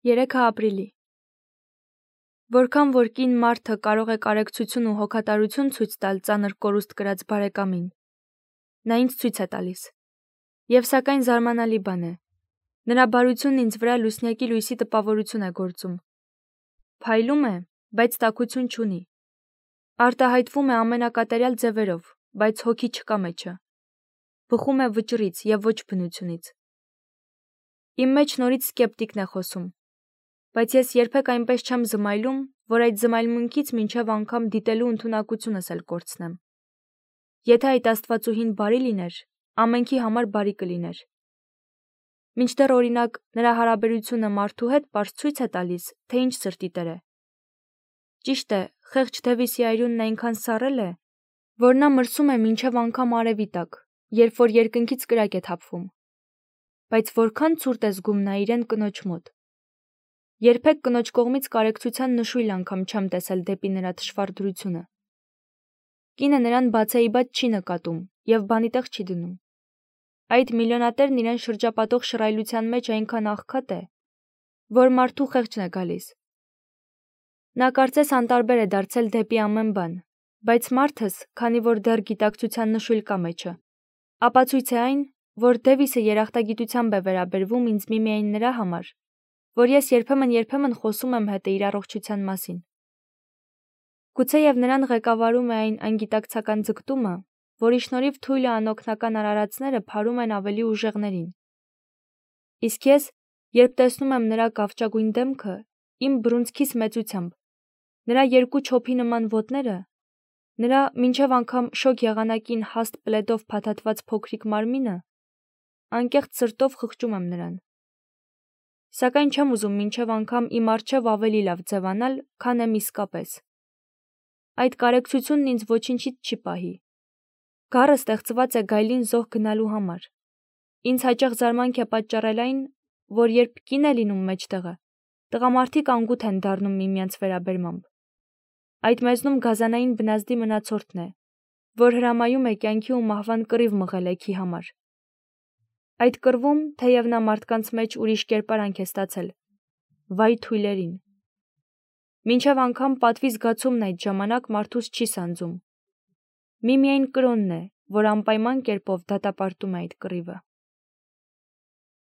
3 ապրիլի։ Որքան որ կին մարդը կարող է կարեկցություն ու հոգատարություն ցույց տալ ծանր կորուստ կրած բարեկամին, նա ինձ ցույց է տալիս։ Եվ սակայն զարմանալի բան է, նրա բարությունն ինձ վրա լուսնյակի լույսի տպավորություն է գործում։ Փայլում է, բայց տաքություն չունի։ Արտահայտվում է ամենակատարյալ ձևերով, բայց հոգի չկա մեջը։ Բխում է վճռից եւ ոչ բնությունից։ Իմ մեջ նորից սկեպտիկն է խոսում, բայց ես երբեք այնպես չեմ զմայլում, որ այդ զմայլմունքից մինչև անգամ դիտելու ընդունակությունս էլ կորցնեմ։ Եթե այդ աստվածուհին բարի լիներ, ամենքի համար բարի կլիներ։ Մինչդեռ օրինակ նրա հարաբերությունը մարդու հետ պարզ ցույց է տալիս, թե ինչ սրտի տեր է։ Ճիշտ է, խեղճ Դևիսի այրունն այնքան սառել է, որ նա մրսում է մինչև անգամ արևի տակ, երբ որ երկնքից կրակ է թափվում։ Բայց որքան ցուրտ է զգում նա իրեն կնոջ մոտ։ Երբեք կնոջ կողմից կարեկցության նշույլ անգամ չեմ տեսել դեպի նրա թշվառ դրությունը։ Կինը նրան բացեիբաց չի նկատում եւ բանի տեղ չի դնում։ Այդ միլիոնատերն իրեն շրջապատող շռայլության մեջ այնքան աղքատ է, որ մարդու խեղճն է գալիս։ Նա կարծես անտարբեր է դարձել դեպի ամեն բան, բայց մարդս, քանի որ դեռ գիտակցության նշույլ կա մեջը, ապացույց է այն, որ Դևիսը երախտագիտությամբ է վերաբերվում ինձ միմիայն նրա համար, որ ես երբեմն խոսում եմ հետ իր առողջության մասին։ Գուցեև նրան ղեկավարում է այն անգիտակցական ձգտումը, որի շնորհիվ թույլը անօգնական արարածները փարում են ավելի ուժեղներին։ Իսկ ես, երբ տեսնում եմ նրա կավճագույն դեմքը, իմ բռունցքիս մեծությամբ, նրա երկու չոփի նման ոտները, նրա մինչև անգամ շոգ եղանակին հաստ պլեդով փաթաթված փոքրիկ մարմինը, անկեղծ սրտով խղճում եմ նրան։ Սակայն չեմ ուզում մինչև անգամ իմ առջև ավելի լավ ձևանալ, քան եմ իսկապես։ Այդ կարեկցությունն ինձ ոչինչից չի պահի։ Գառը ստեղծված է գայլին զոհ գնալու համար։ Ինձ հաճախ զարմանք է պատճառել այն, որ երբ կին է լինում մեջտեղը, տղամարդիկ անգութ են դառնում միմյանց վերաբերմամբ։ Այդ մեզնում գազանային բնազդի մնացորդն է, որ հրամայում է կյանքի ու մահվան կռիվ մղել էքի համար։ Այդ կռվում, թեև նա մարդկանց մեջ ուրիշ կերպարանք է ստացել, վայ թույլերին։ Մինչև անգամ պատվի զգացումն այդ ժամանակ մարդուց չի սանձում։ Միմիայն կրոնն է, որ անպայման կերպով դատապարտում է այդ կռիվը։